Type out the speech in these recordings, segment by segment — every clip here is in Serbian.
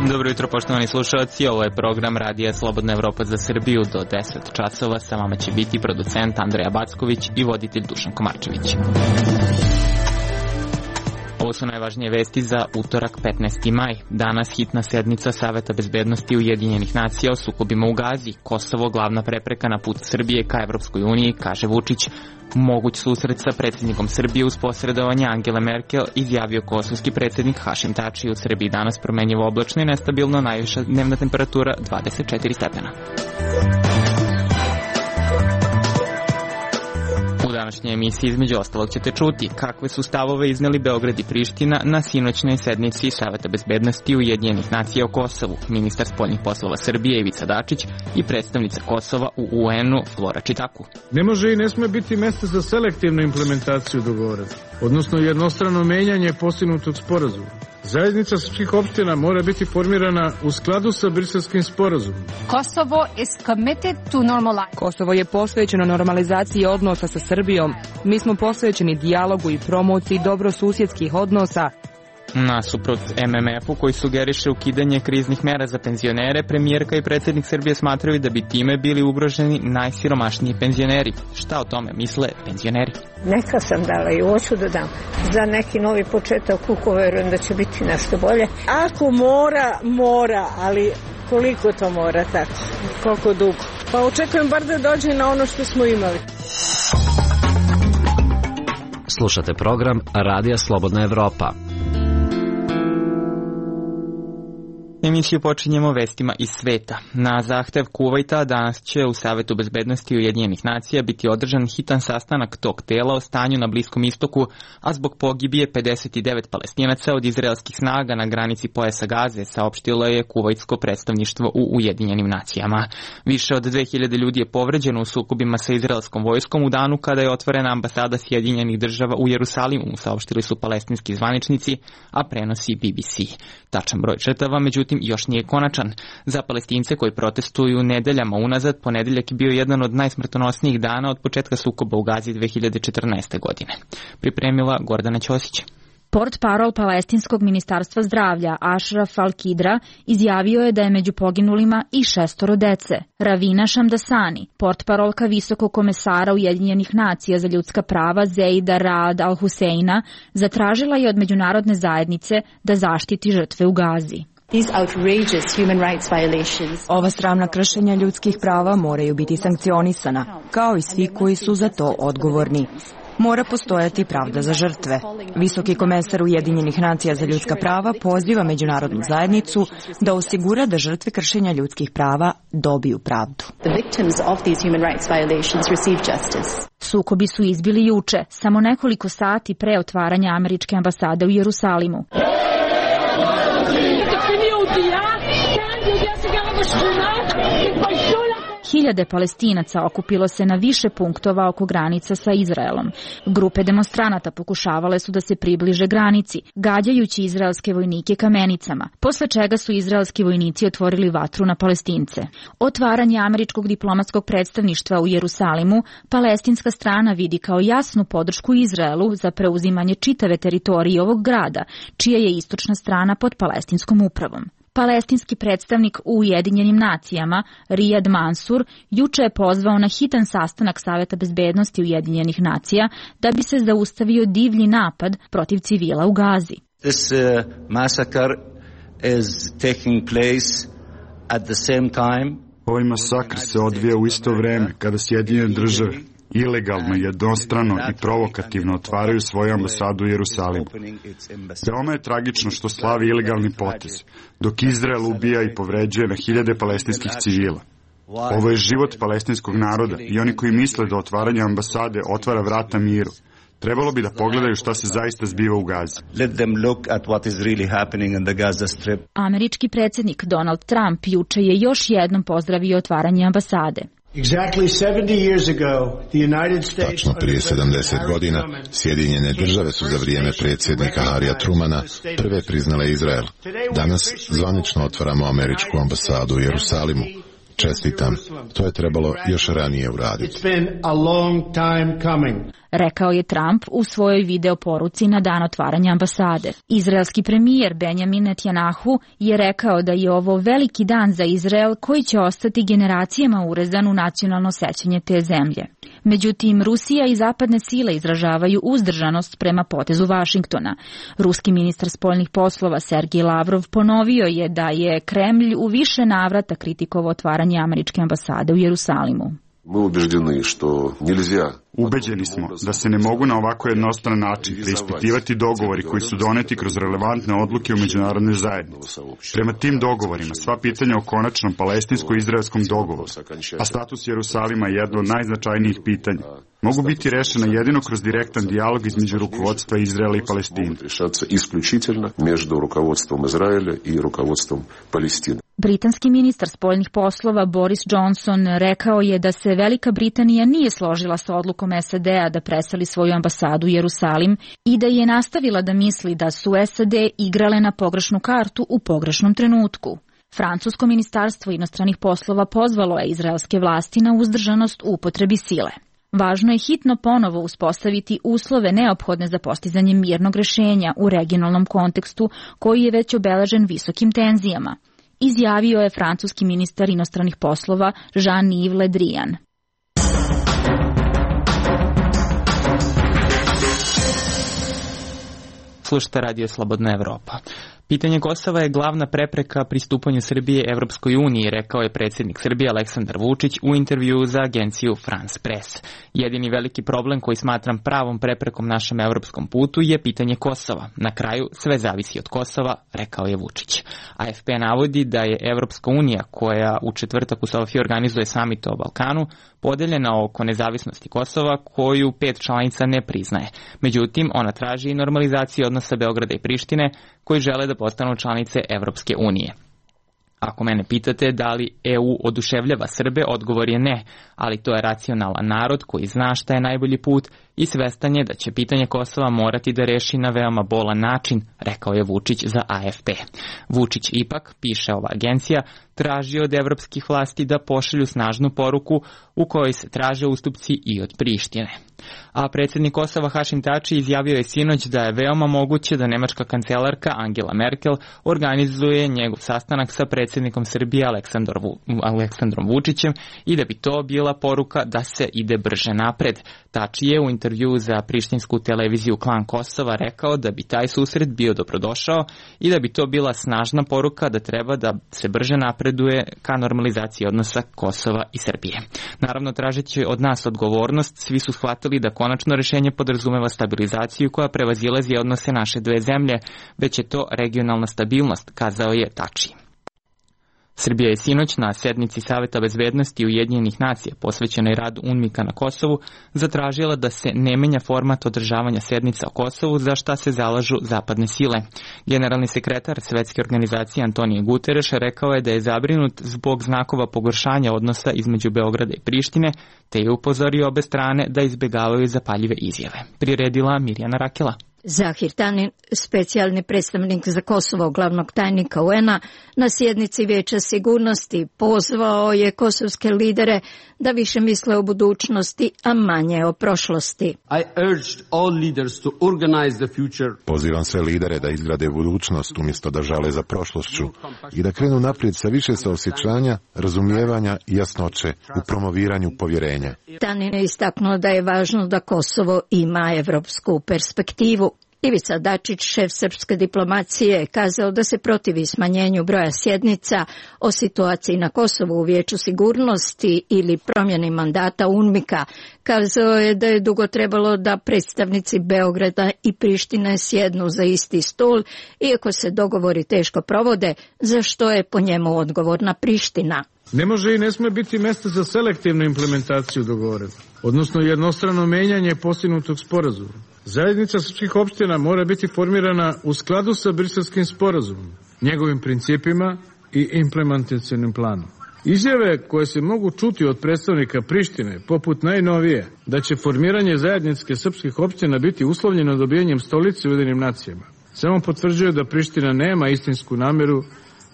Dobro jutro, poštovani slušalci, ovo je program Radija Slobodna Evropa za Srbiju. Do 10 časova sa vama će biti producent Andreja Backović i voditelj Dušan Komarčević. Ovo su najvažnije vesti za utorak 15. maj. Danas hitna sednica Saveta bezbednosti Ujedinjenih nacija o sukobima u Gazi. Kosovo glavna prepreka na put Srbije ka Evropskoj uniji, kaže Vučić. Moguć susret sa predsjednikom Srbije uz posredovanje Angele Merkel, izjavio kosovski predsjednik Hašim Tači. U Srbiji danas promenjivo oblačno i nestabilno, najviša dnevna temperatura 24 stepena. U današnjoj emisiji između ostalog ćete čuti kakve su stavove izneli Beograd i Priština na sinoćnoj sednici Saveta bezbednosti Ujedinjenih nacija o Kosovu. Ministar spoljnih poslova Srbije Ivica Dačić i predstavnica Kosova u UN-u Flora Čitaku. Ne može i ne sme biti mesta za selektivnu implementaciju dogovora, odnosno jednostrano menjanje postignutog sporazuma. Zajednica srpskih opština mora biti formirana u skladu sa Briselskim sporazumom. Kosovo je posvećeno normalizaciji odnosa sa Srbijom. Mi smo posvećeni dijalogu i promociji dobrosusjedskih odnosa. Nasuprot MMF-u koji sugeriše ukidanje kriznih mera za penzionere, premijerka i predsjednik Srbije smatraju da bi time bili ugroženi najsiromašniji penzioneri. Šta o tome misle penzioneri? Neka sam dala i hoću da dam za neki novi početak, uko verujem da će biti nešto bolje. Ako mora, ali koliko to mora tako? Koliko dugo? Pa očekujem bar da dođe na ono što smo imali. Slušate program Radija Slobodna Evropa. Emisiju počinjemo vestima iz sveta. Na zahtev Kuvajta danas će u Savetu bezbednosti Ujedinjenih nacija biti održan hitan sastanak tog tela o stanju na Bliskom istoku, a zbog pogibije 59 Palestinaca od izraelskih snaga na granici pojasa Gaze, saopštilo je kuvajtsko predstavništvo u Ujedinjenim nacijama. Više od 2000 ljudi je povređeno u sukobima sa izraelskom vojskom u danu kada je otvorena ambasada Sjedinjenih država u Jerusalimu, saopštili su palestinski zvaničnici, a prenosi BBC. Tačan broj žrtava, međutim, još nije konačan. Za Palestince koji protestuju nedeljama unazad, ponedeljak je bio jedan od najsmrtonosnijih dana od početka sukoba u Gazi 2014. godine. Pripremila Gordana Ćosić. Portparol Palestinskog ministarstva zdravlja Ashraf Al-Kidra izjavio je da je među poginulima i 6 dece. Ravina Šamdasani, portparolka visokog komesara Ujedinjenih nacija za ljudska prava Zeida Raad Al-Huseina, zatražila je od međunarodne zajednice da zaštiti žrtve u Gazi. Ova sramna kršenja ljudskih prava moraju biti sankcionisana, kao i svi koji su za to odgovorni. Mora postojati pravda za žrtve. Visoki komesar Ujedinjenih nacija za ljudska prava poziva međunarodnu zajednicu da osigura da žrtve kršenja ljudskih prava dobiju pravdu. Sukobi su izbili juče, samo nekoliko sati pre otvaranja američke ambasade u Jerusalimu. Hiljade Palestinaca okupilo se na više punktova oko granica sa Izraelom. Grupe demonstranata pokušavale su da se približe granici, gađajući izraelske vojnike kamenicama, posle čega su izraelski vojnici otvorili vatru na Palestince. Otvaranje američkog diplomatskog predstavništva u Jerusalimu palestinska strana vidi kao jasnu podršku Izraelu za preuzimanje čitave teritorije ovog grada, čija je istočna strana pod palestinskom upravom. Palestinski predstavnik u Ujedinjenim nacijama, Riyad Mansour, juče je pozvao na hitan sastanak Saveta bezbednosti Ujedinjenih nacija da bi se zaustavio divlji napad protiv civila u Gazi. This massacre is taking place at the same time. Ovaj masakr se odvija u isto vreme kada Sjedinjene države ilegalno, jednostrano i provokativno otvaraju svoju ambasadu u Jerusalimu. Veoma je tragično što slavi ilegalni potez, dok Izrael ubija i povređuje na hiljade palestinskih civila. Ovo je život palestinskog naroda i oni koji misle da otvaranje ambasade otvara vrata miru, trebalo bi da pogledaju šta se zaista zbiva u Gazi. Američki predsjednik Donald Trump juče je još jednom pozdravio otvaranje ambasade. Tačno prije 70 godina Sjedinjene države su za vrijeme predsjednika Harrya Trumana prve priznale Izrael. Danas zvanično otvaramo američku ambasadu u Jerusalimu. Čestitam, to je trebalo još ranije uraditi. rekao je Trump u svojoj video poruci na dan otvaranja ambasade. Izraelski premijer Benjamin Netanyahu je rekao da je ovo veliki dan za Izrael koji će ostati generacijama urezan u nacionalno sećanje te zemlje. Međutim, Rusija i zapadne sile izražavaju uzdržanost prema potezu Vašingtona. Ruski ministar spoljnih poslova Sergej Lavrov ponovio je da je Kremlj u više navrata kritikovao otvaranje američke ambasade u Jerusalimu. Ubeđeni smo da se ne mogu na ovako jednostran način preispitivati dogovori koji su doneti kroz relevantne odluke u međunarodnoj zajednici. Prema tim dogovorima, sva pitanja o konačnom palestinsko-izraelskom dogovoru, a status Jerusalima je jedno od najznačajnijih pitanja, mogu biti rešena jedino kroz direktan dijalog između rukovodstva Izraela i Palestine. Britanski ministar spoljnih poslova Boris Johnson rekao je da se Velika Britanija nije složila sa odlukom SAD-a da preseli svoju ambasadu u Jerusalim i da je nastavila da misli da su SAD igrale na pogrešnu kartu u pogrešnom trenutku. Francusko ministarstvo inostranih poslova pozvalo je izraelske vlasti na uzdržanost u upotrebi sile. Važno je hitno ponovo uspostaviti uslove neophodne za postizanje mirnog rešenja u regionalnom kontekstu koji je već obeležen visokim tenzijama, izjavio je francuski ministar inostranih poslova Jean-Yves Le Drian. Slušajte Radio Slobodna Evropa. Pitanje Kosova je glavna prepreka pristupanju Srbije Evropskoj uniji, rekao je predsjednik Srbije Aleksandar Vučić u intervjuu za agenciju France Press. Jedini veliki problem koji smatram pravom preprekom našem evropskom putu je pitanje Kosova. Na kraju sve zavisi od Kosova, rekao je Vučić. AFP navodi da je Evropska unija, koja u četvrtak u Sofiji organizuje samit o Balkanu, podeljena oko nezavisnosti Kosova, koju 5 članica ne priznaje. Međutim, ona traži i normalizaciju odnosa Beograda i Prištine, koji žele da postanu članice Evropske unije. Ako mene pitate da li EU oduševljava Srbe, odgovor je ne, ali to je racionalan narod koji zna šta je najbolji put i svestan je da će pitanje Kosova morati da reši na veoma bolan način, rekao je Vučić za AFP. Vučić ipak, piše ova agencija, traži od evropskih vlasti da pošalju snažnu poruku u kojoj se traže ustupci i od Prištine. A predsjednik Kosova Hašim Tači izjavio je sinoć da je veoma moguće da nemačka kancelarka Angela Merkel organizuje njegov sastanak sa predsjednikom Srbije Aleksandrom Vučićem i da bi to bila poruka da se ide brže napred. Tači je u intervjuu za prištinsku televiziju Klan Kosova rekao da bi taj susret bio dobrodošao i da bi to bila snažna poruka da treba da se brže napreduje ka normalizaciji odnosa Kosova i Srbije. Naravno, tražeći od nas odgovornost, svi su shvatili da konačno rešenje podrazumeva stabilizaciju koja prevazilazi odnose naše dve zemlje, već je to regionalna stabilnost, kazao je Tači. Srbija je sinoć na sednici Saveta bezbednosti Ujedinjenih nacija posvećenoj radu UNMIK-a na Kosovu zatražila da se ne menja format održavanja sednica o Kosovu, za šta se zalažu zapadne sile. Generalni sekretar Svetske organizacije Antonio Guterres rekao je da je zabrinut zbog znakova pogoršanja odnosa između Beograda i Prištine, te je upozorio obe strane da izbegavaju zapaljive izjave. Priredila Mirjana Rakela. Zahir Tanin, specijalni predstavnik za Kosovo glavnog tajnika UN-a, na sjednici Vijeća sigurnosti pozvao je kosovske lidere da više misle o budućnosti, a manje o prošlosti. Pozivam sve lidere da izgrade budućnost umjesto da žale za prošlošću i da krenu naprijed sa više saosjećanja, razumijevanja i jasnoće u promoviranju povjerenja. Tanin je istaknuo da je važno da Kosovo ima evropsku perspektivu. Ivica Dačić, šef srpske diplomacije, kazao da se protivi smanjenju broja sjednica o situaciji na Kosovu u Vijeću sigurnosti ili promjeni mandata UNMIK-a. Kazao je da je dugo trebalo da predstavnici Beograda i Prištine sjednu za isti stol, iako se dogovori teško provode, za što je po njemu odgovorna Priština. Ne može i ne sme biti mjesta za selektivnu implementaciju dogovora, odnosno jednostrano menjanje postignutog sporazuma. Zajednica srpskih opština mora biti formirana u skladu sa Briselskim sporazumom, njegovim principima i implementacionim planom. Izjave koje se mogu čuti od predstavnika Prištine, poput najnovije, da će formiranje zajedničke srpskih opština biti uslovljeno dobijanjem stolice u Ujedinjenim nacijama, samo potvrđuje da Priština nema istinsku namjeru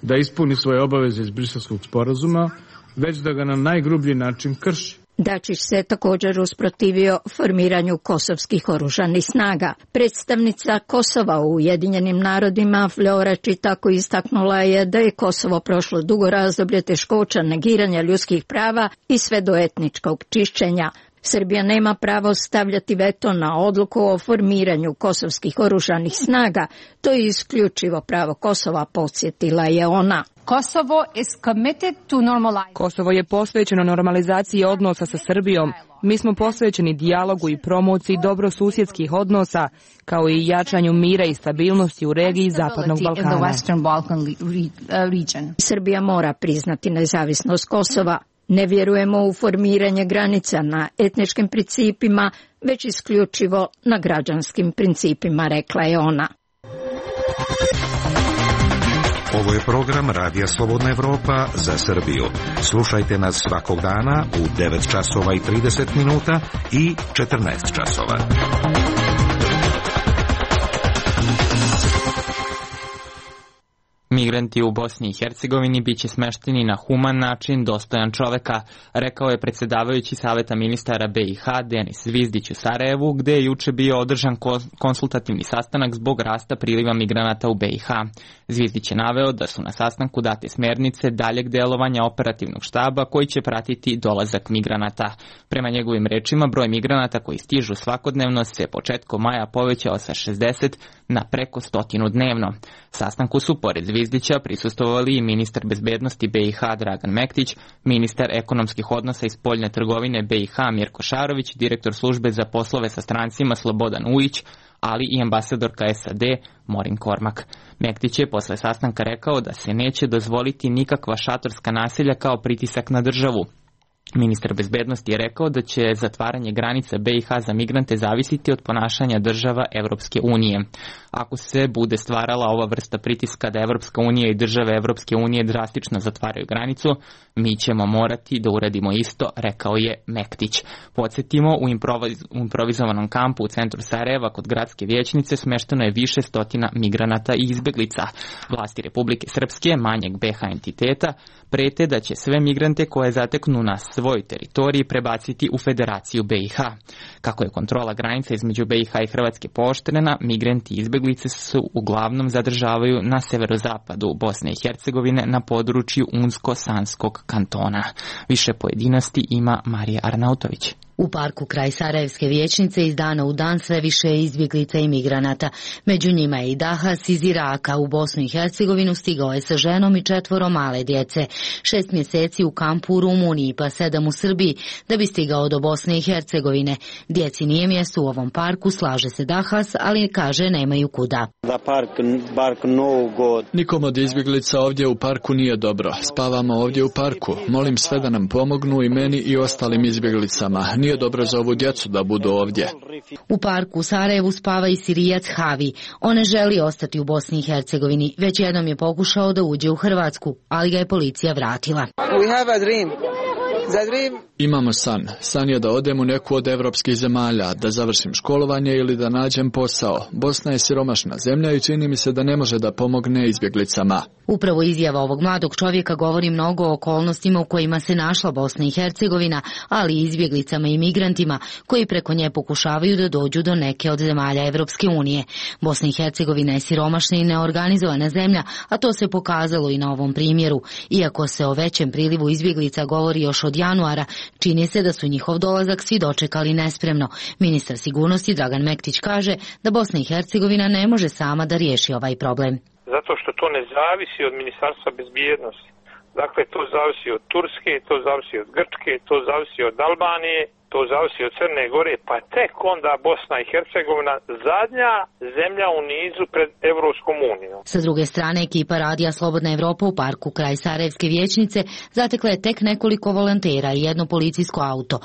da ispuni svoje obaveze iz Briselskog sporazuma, već da ga na najgrublji način krši. Dačić se također usprotivio formiranju kosovskih oružanih snaga. Predstavnica Kosova u Ujedinjenim narodima Flora Čitako istaknula je da je Kosovo prošlo dugo razdoblje teškoća negiranja ljudskih prava i sve do etničkog čišćenja. Srbija nema pravo stavljati veto na odluku o formiranju kosovskih oružanih snaga. To je isključivo pravo Kosova, podsjetila je ona. Kosovo je posvećeno normalizaciji odnosa sa Srbijom. Mi smo posvećeni dijalogu i promociji dobrosusjedskih odnosa, kao i jačanju mira i stabilnosti u regiji Zapadnog Balkana. Srbija mora priznati nezavisnost Kosova. Ne vjerujemo u formiranje granica na etničkim principima, već isključivo na građanskim principima, rekla je ona. Ovo je program Radija Slobodna Evropa za Srbiju. Slušajte nas svakog dana u 9 časova i 30 minuta i 14 časova. Migranti u Bosni i Hercegovini biće smešteni na human način, dostojan čoveka, rekao je predsjedavajući Saveta ministara BiH Denis Zvizdić u Sarajevu, gde je juče bio održan konsultativni sastanak zbog rasta priliva migranata u BiH. Zvizdić je naveo da su na sastanku date smjernice daljeg delovanja operativnog štaba koji će pratiti dolazak migranata. Prema njegovim rečima, broj migranata koji stižu svakodnevno se početkom maja povećao sa 60 na preko 100 dnevno. Sastanku su pored Zvizdića prisustvovali i ministar bezbednosti BiH Dragan Mektić, ministar ekonomskih odnosa i spoljne trgovine BiH Mirko Šarović, direktor službe za poslove sa strancima Slobodan Ujić, ali i ambasadorka SAD Morin Kormak. Mektić je posle sastanka rekao da se neće dozvoliti nikakva šatorska naselja kao pritisak na državu. Ministar bezbednosti je rekao da će zatvaranje granica BiH za migrante zavisiti od ponašanja država Evropske unije. Ako se bude stvarala ova vrsta pritiska da Evropska unija i države Evropske unije drastično zatvaraju granicu, mi ćemo morati da uradimo isto, rekao je Mektić. Podsjetimo, u improvizovanom kampu u centru Sarajeva kod gradske vijećnice smešteno je više stotina migranata i izbeglica. Vlasti Republike Srpske, manjeg BiH entiteta, prete da će sve migrante koje zateknu na svoj teritoriji prebaciti u Federaciju BiH. Kako je kontrola granica između BiH i Hrvatske pooštrena, migranti i izbeglice su uglavnom zadržavaju na severozapadu Bosne i Hercegovine na području Unsko-Sanskog kantona. Više pojedinosti ima Marija Arnautović. U parku kraj Sarajevske vijećnice iz dana u dan sve više je izbjeglica i migranata. Među njima je i Dahas iz Iraka. U Bosnu i Hercegovinu stigao je sa ženom i 4 male djece. 6 mjeseci u kampu u Rumuniji, pa 7 u Srbiji, da bi stigao do Bosne i Hercegovine. Djeci nije mjesto u ovom parku, slaže se Dahas, ali kaže nemaju kuda. Nikom od izbjeglica ovdje u parku nije dobro. Spavamo ovdje u parku. Molim sve da nam pomognu, i meni i ostalim izbjeglicama. Nije dobro za ovu djecu da budu ovdje. U parku u Sarajevu spava i Sirijac Havi. On ne želi ostati u Bosni i Hercegovini. Već jednom je pokušao da uđe u Hrvatsku, ali ga je policija vratila. Imamo san. San je da odem u neku od evropskih zemalja, da završim školovanje ili da nađem posao. Bosna je siromašna zemlja i čini mi se da ne može da pomogne izbjeglicama. Upravo izjava ovog mladog čovjeka govori mnogo o okolnostima u kojima se našla Bosna i Hercegovina, ali i izbjeglicama i migrantima koji preko nje pokušavaju da dođu do neke od zemalja Evropske unije. Bosna i Hercegovina je siromašna i neorganizovana zemlja, a to se pokazalo i na ovom primjeru. Iako se o većem prilivu izbjeglica govori još od januara, čini se da su njihov dolazak svi dočekali nespremno. Ministar sigurnosti Dragan Mektić kaže da Bosna i Hercegovina ne može sama da riješi ovaj problem. Zato što to ne zavisi od Ministarstva bezbjednosti. Dakle, to zavisi od Turske, to zavisi od Grčke, to zavisi od Albanije, to zavisi od Crne Gore, pa tek onda Bosna i Hercegovina zadnja zemlja u nizu pred Evropskom unijom. Sa druge strane, ekipa Radija Slobodna Evropa u parku kraj Sarajevske vijećnice zatekla je tek nekoliko volontera i jedno policijsko auto.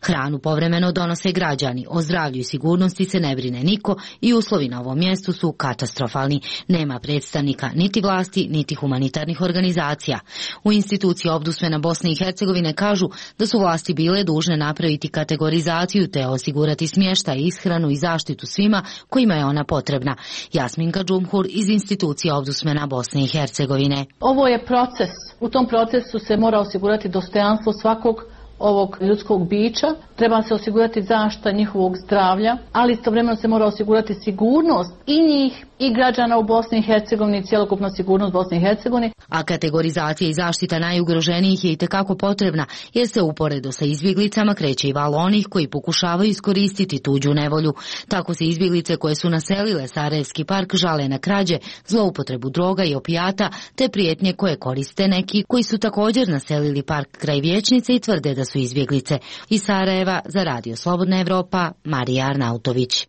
Hranu povremeno donose građani, o zdravlju i sigurnosti se ne brine niko i uslovi na ovom mjestu su katastrofalni. Nema predstavnika niti vlasti, niti humanitarnih organizacija. U instituciji Ombudsmana Bosne i Hercegovine kažu da su vlasti bile dužne napraviti kategorizaciju te osigurati smještaj, ishranu i zaštitu svima kojima je ona potrebna. Jasminka Džumhur iz institucije Ombudsmana Bosne i Hercegovine. Ovo je proces. U tom procesu se mora osigurati dostojanstvo svakog ovog ljudskog bića, treba se osigurati zaštita njihovog zdravlja, ali istovremeno se mora osigurati sigurnost i njih i građana u Bosni i Hercegovini, cjelokupna sigurnost Bosne i Hercegovine. A kategorizacija i zaštita najugroženijih je itekako potrebna, jer se uporedo sa izbjeglicama kreće i val onih koji pokušavaju iskoristiti tuđu nevolju. Tako se izbjeglice koje su naselile Sarajevski park žale na krađe, zloupotrebu droga i opijata, te prijetnje koje koriste neki koji su također naselili park kraj Vijećnice i tvrde da su izbjeglice. Iz Sarajeva za Radio Slobodna Evropa, Marija Arnautović.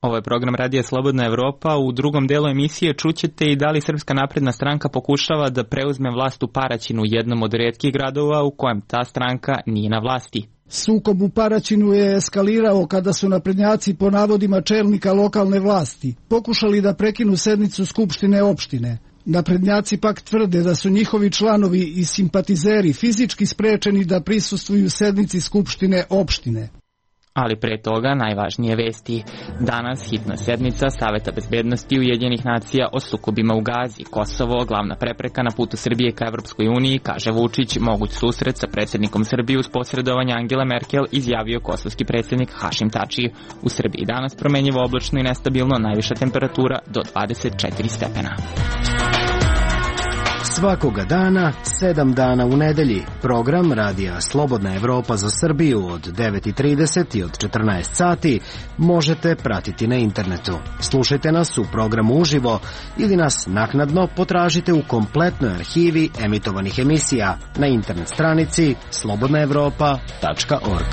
Ovo je program Radija Slobodna Evropa. U drugom delu emisije čućete i da li Srpska napredna stranka pokušava da preuzme vlast u Paraćinu, jednom od rijetkih gradova u kojem ta stranka nije na vlasti. Sukob u Paraćinu je eskalirao kada su naprednjaci po navodima čelnika lokalne vlasti pokušali da prekinu sednicu Skupštine opštine. Naprednjaci pak tvrde da su njihovi članovi i simpatizeri fizički sprečeni da prisustvuju sednici Skupštine opštine. Ali pre toga najvažnije vesti. Danas hitna sednica Saveta bezbednosti Ujedinjenih nacija o sukobima u Gazi. Kosovo, glavna prepreka na putu Srbije ka Evropskoj uniji, kaže Vučić. Moguć susret sa predsjednikom Srbije uz posredovanje Angele Merkel, izjavio kosovski predsjednik Hašim Tači. U Srbiji danas promenjivo oblačno i nestabilno, najviša temperatura do 24 stepena. Svakoga dana, 7 dana u nedelji. Program Radija Slobodna Evropa za Srbiju od 9:30 i od 14 sati možete pratiti na internetu. Slušajte nas u programu uživo ili nas naknadno potražite u kompletnoj arhivi emitovanih emisija na internet stranici slobodnaevropa.org.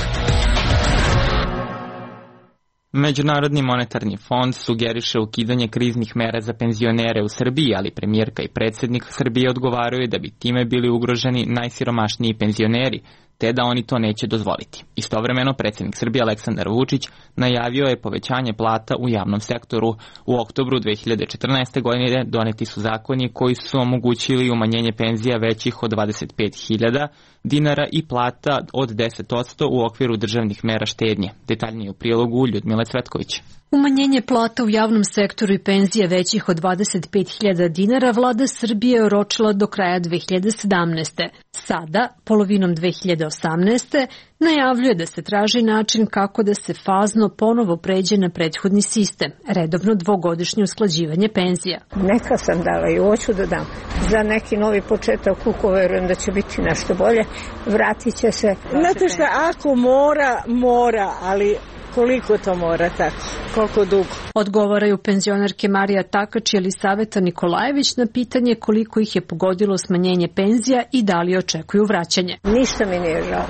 Međunarodni monetarni fond sugeriše ukidanje kriznih mera za penzionere u Srbiji, ali premijerka i predsjednik Srbije odgovaraju da bi time bili ugroženi najsiromašniji penzioneri, te da oni to neće dozvoliti. Istovremeno, predsjednik Srbije Aleksandar Vučić najavio je povećanje plata u javnom sektoru. U oktobru 2014. godine doneti su zakoni koji su omogućili umanjenje penzija većih od 25.000 dinara i plata od 10% u okviru državnih mera štednje. Detaljnije u prilogu Ljudmile Cvetković. Umanjenje plata u javnom sektoru i penzije većih od 25.000 dinara vlada Srbije je oročila do kraja 2017. Sada, polovinom 2018. najavljuje da se traži način kako da se fazno ponovo pređe na prethodni sistem, redovno dvogodišnje usklađivanje penzija. Neka sam dala i hoću da dam. Za neki novi početak verujem da će biti nešto bolje. Vratit će se. Znate šta, ako mora, ali koliko to mora tako? Koliko dugo? Odgovaraju penzionerke Marija Takač i Elisaveta Nikolajević na pitanje koliko ih je pogodilo smanjenje penzija i da li očekuju vraćanje. Ništa mi nije žao.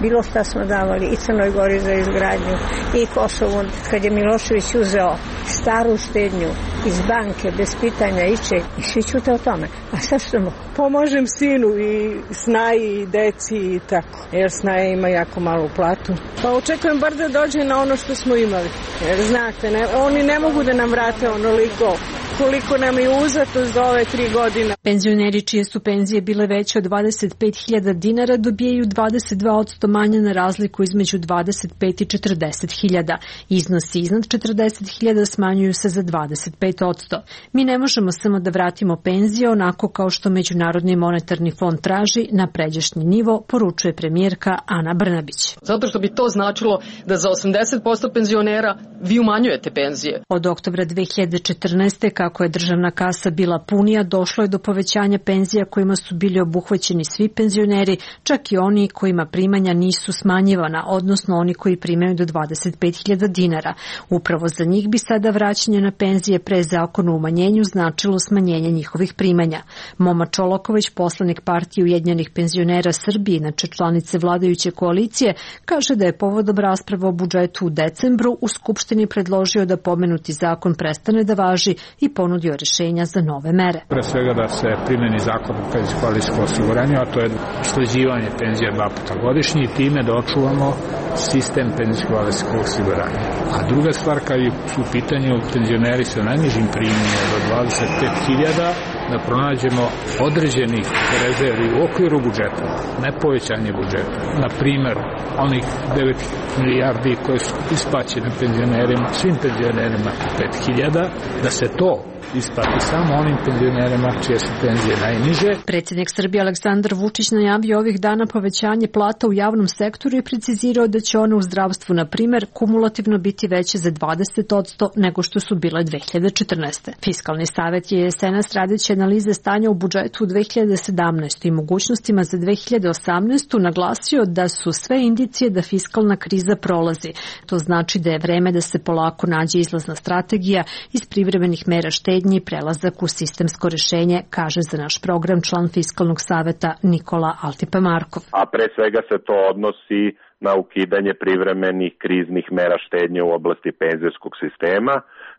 Bilo šta smo davali i Crnoj Gori za izgradnju i Kosovu. Kad je Milošević uzeo staru štednju iz banke bez pitanja ičeg i svi ćute o tome. A šta ćemo? Pomažem sinu i Snaji i deci i tako. Jer Snaja ima jako malu platu. Pa očekujem bar da dođe na ono što smo imali. Jer znate, oni ne mogu da nam vrate onoliko koliko nam je uzeto za ove 3 godine. Penzioneri čije su penzije bile veće od 25.000 dinara dobijaju 22% manje na razliku između 25 i 40.000. Iznosi iznad 40.000 smanjuju se za 25%. Mi ne možemo samo da vratimo penzije onako kao što Međunarodni monetarni fond traži na pređašnji nivo, poručuje premijerka Ana Brnabić. Zato što bi to značilo da za 80% penzionera vi umanjujete penzije. Od oktobra 2014. kako je državna kasa bila punija, došlo je do povećanja penzija kojima su bili obuhvaćeni svi penzioneri, čak i oni kojima primanja nisu smanjivana, odnosno oni koji primaju do 25.000 dinara. Upravo za njih bi sada vraćanje na penzije pre zakona o umanjenju značilo smanjenje njihovih primanja. Moma Čolaković, poslanik partije Ujedinjenih penzionera Srbije, inače članice vladajuće koalicije, kaže da je povodom rasprave o budžetu u decembru u Skupštini predložio da pomenuti zakon prestane da važi i ponudio rješenja za nove mere. Pre svega da se primeni zakon o penzijsko-invalidskom osiguranju, a to je usklađivanje penzija 2 puta godišnje i time da očuvamo sistem penzijsko-invalidskog osiguranja. A druga stvar, kad su u pitanju penzioneri sa najnižim primanjima do 25.000, da pronađemo određenih rezervi u okviru budžeta, ne povećanje budžeta. Na primer, onih 9 milijardi koje su isplaćene penzionerima, svim penzionerima 5.000, da se to isplati samo onim penzionerima čije su penzije najniže. Predsjednik Srbije Aleksandar Vučić najavio ovih dana povećanje plata u javnom sektoru i precizirao da će one u zdravstvu, na primer, kumulativno biti veće za 20% nego što su bile 2014. Fiskalni savet je jesenas radeći analize stanja u budžetu u 2017. i mogućnostima za 2018. naglasio da su sve indicije da fiskalna kriza prolazi. To znači da je vreme da se polako nađe izlazna strategija iz privremenih mera štednje i prelazak u sistemsko rešenje, kaže za naš program član Fiskalnog saveta Nikola Altipa-Markov. A pre svega se to odnosi na ukidanje privremenih kriznih mera štednje u oblasti penzijskog sistema.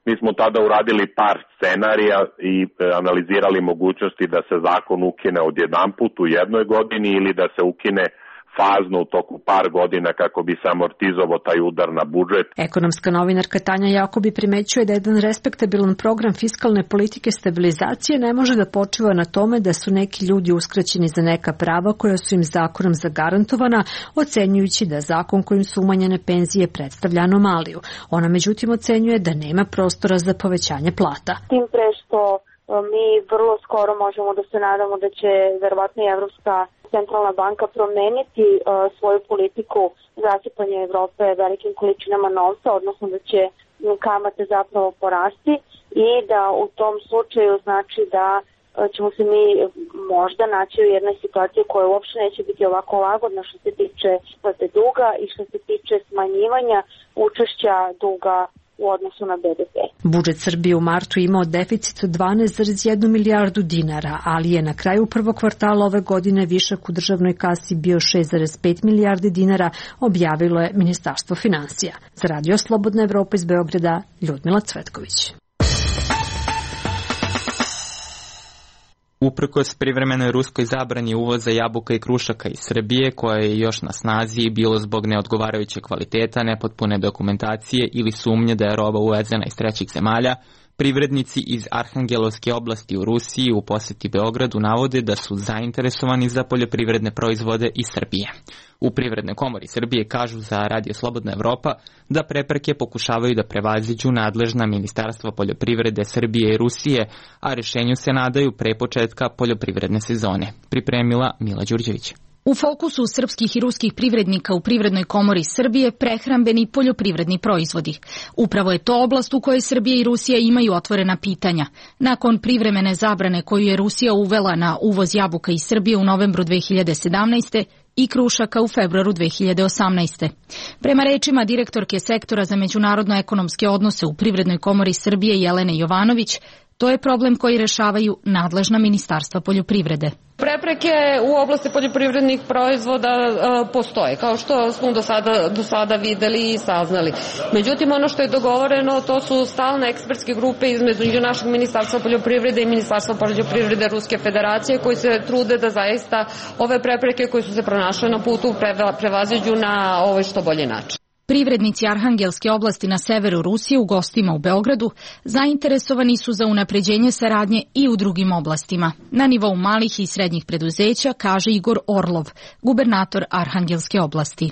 Mi smo tada uradili par scenarija i analizirali mogućnosti da se zakon ukine odjedanput u jednoj godini ili da se ukine fazno u toku par godina kako bi se amortizovao taj udar na budžet. Ekonomska novinarka Tanja Jakobi primećuje da jedan respektabilan program fiskalne politike stabilizacije ne može da počiva na tome da su neki ljudi uskraćeni za neka prava koja su im zakonom zagarantovana, ocenjujući da zakon kojim su umanjene penzije predstavlja anomaliju. Ona međutim ocenjuje da nema prostora za povećanje plata. Tim pre što mi vrlo skoro možemo da se nadamo da će verovatno i Evropska centralna banka promeniti svoju politiku zasipanja Evrope velikim količinama novca, odnosno da će kamate zapravo porasti i da u tom slučaju znači da ćemo se mi možda naći u jednoj situaciji koja uopšte neće biti ovako lagodna što se tiče isplate duga i što se tiče smanjivanja učešća duga u odnosu na BDP. Budžet Srbije u martu imao deficit od 12,1 milijardu dinara, ali je na kraju prvog kvartala ove godine višak u državnoj kasi bio 6,5 milijardi dinara, objavilo je Ministarstvo finansija. Za Radio Slobodna Evropa iz Beograda, Ljudmila Cvetković. Uprkos privremenoj ruskoj zabrani uvoza jabuka i krušaka iz Srbije, koja je još na snazi bilo zbog neodgovarajuće kvaliteta, nepotpune dokumentacije ili sumnje da je roba uvezena iz trećih zemalja, privrednici iz Arhangelovske oblasti u Rusiji u poseti Beogradu navode da su zainteresovani za poljoprivredne proizvode iz Srbije. U Privrednoj komori Srbije kažu za Radio Slobodna Evropa da prepreke pokušavaju da prevaziđu nadležna ministarstva poljoprivrede Srbije i Rusije, a rešenju se nadaju pre početka poljoprivredne sezone. Pripremila Mila Đurđević. U fokusu srpskih i ruskih privrednika u Privrednoj komori Srbije prehrambeni i poljoprivredni proizvodi. Upravo je to oblast u kojoj Srbija i Rusija imaju otvorena pitanja. Nakon privremene zabrane koju je Rusija uvela na uvoz jabuka iz Srbije u novembru 2017. i krušaka u februaru 2018. Prema rečima direktorke sektora za međunarodno-ekonomske odnose u Privrednoj komori Srbije Jelene Jovanović, to je problem koji rešavaju nadležna ministarstva poljoprivrede. Prepreke u oblasti poljoprivrednih proizvoda postoje, kao što smo do sada videli i saznali. Međutim, ono što je dogovoreno, to su stalne ekspertske grupe između našeg ministarstva poljoprivrede i ministarstva poljoprivrede Ruske federacije, koji se trude da zaista ove prepreke koje su se pronašle na putu prevaziđu na što bolji način. Privrednici Arhangelske oblasti na severu Rusije u gostima u Beogradu zainteresovani su za unapređenje saradnje i u drugim oblastima. Na nivou malih i srednjih preduzeća, kaže Igor Orlov, gubernator Arhangelske oblasti.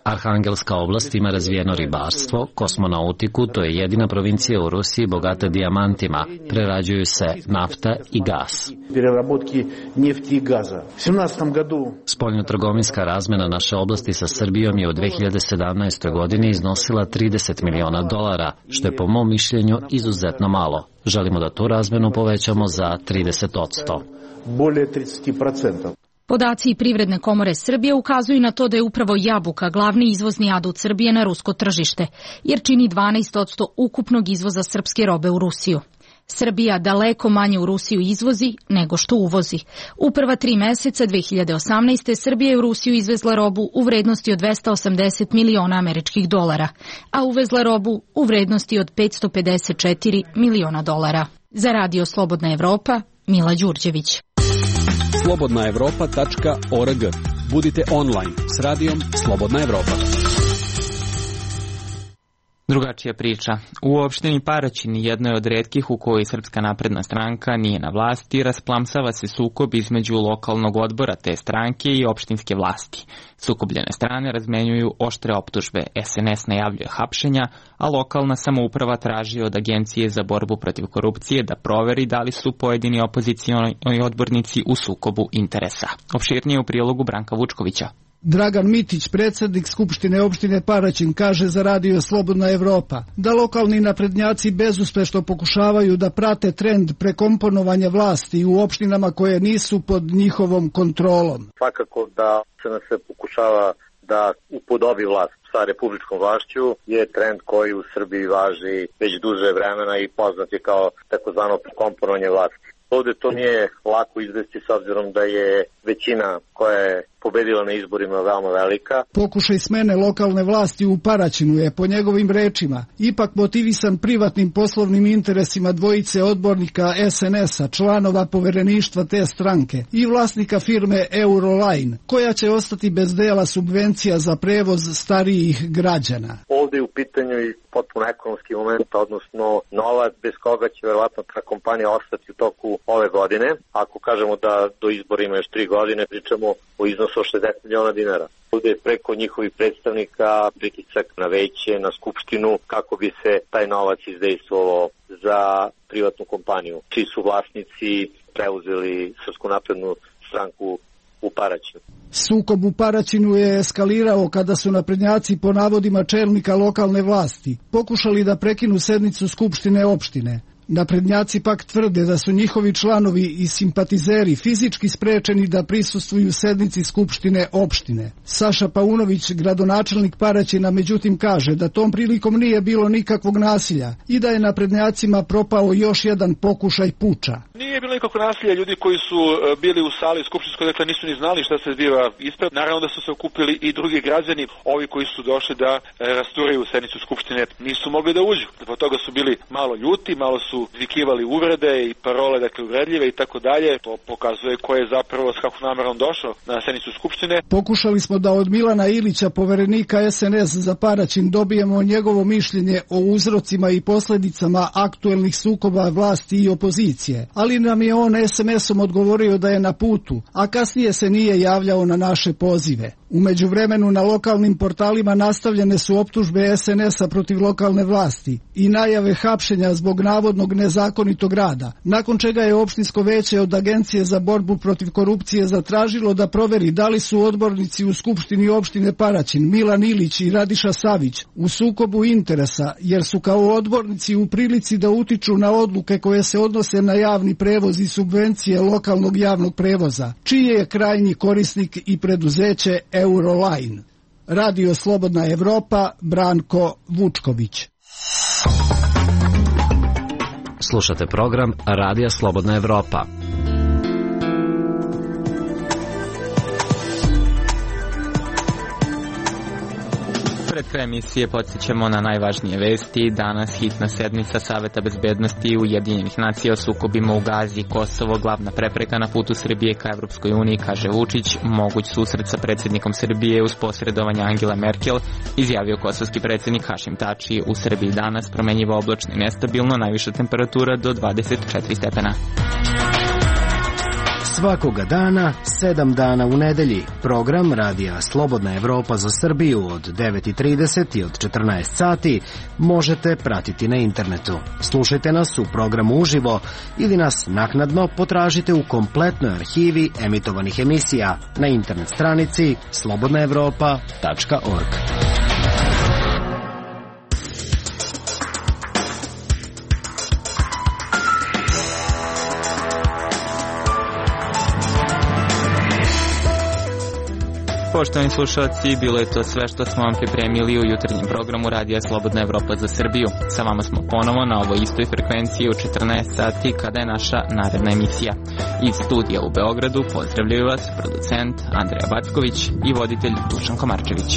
Arhangelska oblast ima razvijeno ribarstvo, kosmonautiku, to je jedina provincija u Rusiji bogata dijamantima, prerađuju se nafta i gas. Spoljnotrgovinska razmena naše oblasti sa Srbijom je u 2017. godini iznosila $30 miliona, što je po mom mišljenju izuzetno malo. Želimo da tu razmenu povećamo za 30%. Podaci Privredne komore Srbije ukazuju na to da je upravo jabuka glavni izvozni adut Srbije na rusko tržište, jer čini 12% ukupnog izvoza srpske robe u Rusiju. Srbija daleko manje u Rusiju izvozi nego što uvozi. U prva 3 meseca 2018. Srbija je u Rusiju izvezla robu u vrednosti od $280 miliona američkih dolara, a uvezla robu u vrednosti od $554 miliona. Za Radio Slobodna Evropa, Mila Đurđević. slobodnaevropa.org. Budite online s Radijom Slobodna Evropa. Drugačija priča. U opštini Paraćin, jednoj od retkih u kojoj Srpska napredna stranka nije na vlasti, rasplamsava se sukob između lokalnog odbora te stranke i opštinske vlasti. Sukobljene strane razmenjuju oštre optužbe, SNS najavljuje hapšenja, a lokalna samouprava traži od Agencije za borbu protiv korupcije da proveri da li su pojedini opozicioni odbornici u sukobu interesa. Opširnije u prilogu Branka Vučkovića. Dragan Mitić, predsjednik Skupštine opštine Paraćin, kaže za Radio Slobodna Evropa da lokalni naprednjaci bezuspešno pokušavaju da prate trend prekomponovanja vlasti u opštinama koje nisu pod njihovom kontrolom. Svakako da se nas se pokušava da upodobi vlast sa republičkom vlašću je trend koji u Srbiji važi već duže vremena i poznat je kao takozvano prekomponovanje vlasti. Ovde to nije lako izvesti s obzirom da je većina koja je pobedila na izborima veoma velika. Pokušaj smene lokalne vlasti u Paraćinu je, po njegovim rečima, ipak motivisan privatnim poslovnim interesima dvojice odbornika SNS-a, članova povereništva te stranke i vlasnika firme Euroline, koja će ostati bez dela subvencija za prevoz starijih građana. Ovde je u pitanju i potpuno ekonomski moment, odnosno novac bez koga će verovatno ta kompanija ostati u toku ove godine. Ako kažemo da do izbora ima još 3 godine, pričamo o iznosu od 60 miliona dinara. Ovde je preko njihovih predstavnika pritisak na veće, na skupštinu, kako bi se taj novac izdejstvovao za privatnu kompaniju, čiji su vlasnici preuzeli Srpsku naprednu stranku u Paraćinu. Sukob u Paraćinu je eskalirao kada su naprednjaci, po navodima čelnika lokalne vlasti, pokušali da prekinu sednicu Skupštine opštine. Naprednjaci pak tvrde da su njihovi članovi i simpatizeri fizički sprečeni da prisustvuju sednici Skupštine opštine. Saša Paunović, gradonačelnik Paraćina, međutim kaže da tom prilikom nije bilo nikakvog nasilja i da je naprednjacima propao još jedan pokušaj puča. Nije bilo nikakvog nasilja, ljudi koji su bili u sali skupštinskoj, dakle nisu ni znali šta se zbiva ispred. Naravno da su se okupili i drugi građani, ovi koji su došli da rasturaju sednicu Skupštine nisu mogli da uđu. Zbog toga su bili malo ljuti, malo su vikivali uvrede i parole, dakle uvredljive i tako dalje. To pokazuje ko je zapravo s kakvom namerom došao na sednicu Skupštine. Pokušali smo da od Milana Ilića, poverenika SNS za Paraćin, dobijemo njegovo mišljenje o uzrocima i posledicama aktuelnih sukoba vlasti i opozicije, ali nam je on SMS-om odgovorio da je na putu, a kasnije se nije javljao na naše pozive. U međuvremenu na lokalnim portalima nastavljene su optužbe SNS-a protiv lokalne vlasti i najave hapšenja zbog navodnog nezakonitog rada, nakon čega je opštinsko veće od Agencije za borbu protiv korupcije zatražilo da proveri da li su odbornici u Skupštini opštine Paraćin, Milan Ilić i Radiša Savić, u sukobu interesa, jer su kao odbornici u prilici da utiču na odluke koje se odnose na javni prevoz i subvencije lokalnog javnog prevoza, čiji je krajnji korisnik i preduzeće Euroline. Radio Slobodna Evropa, Branko Vučković. Slušate program Radija Slobodna Evropa. Pred kraj emisije podsjećamo na najvažnije vesti. Danas hitna sednica Saveta bezbednosti Ujedinjenih nacija o sukobima u Gazi i Kosovo, glavna prepreka na putu Srbije ka Evropskoj uniji, kaže Vučić. Moguć susret sa predsjednikom Srbije uz posredovanje Angele Merkel, izjavio kosovski predsjednik Hašim Tači. U Srbiji danas promenjivo oblačno i nestabilno, najviša temperatura do 24 stepena. Svakoga dana, 7 dana u nedelji. Program Radija Slobodna Evropa za Srbiju od 9:30 i od 14 sati možete pratiti na internetu. Slušajte nas u programu uživo ili nas naknadno potražite u kompletnoj arhivi emitovanih emisija na internet stranici slobodnaevropa.org. Poštovani slušalci, bilo je to sve što smo vam pripremili u jutarnjem programu Radija Slobodna Evropa za Srbiju. Sa vama smo ponovo na ovoj istoj frekvenciji u 14 sati kada je naša naredna emisija. Iz studija u Beogradu pozdravljaju vas producent Andreja Backović i voditelj Dušan Komarčević.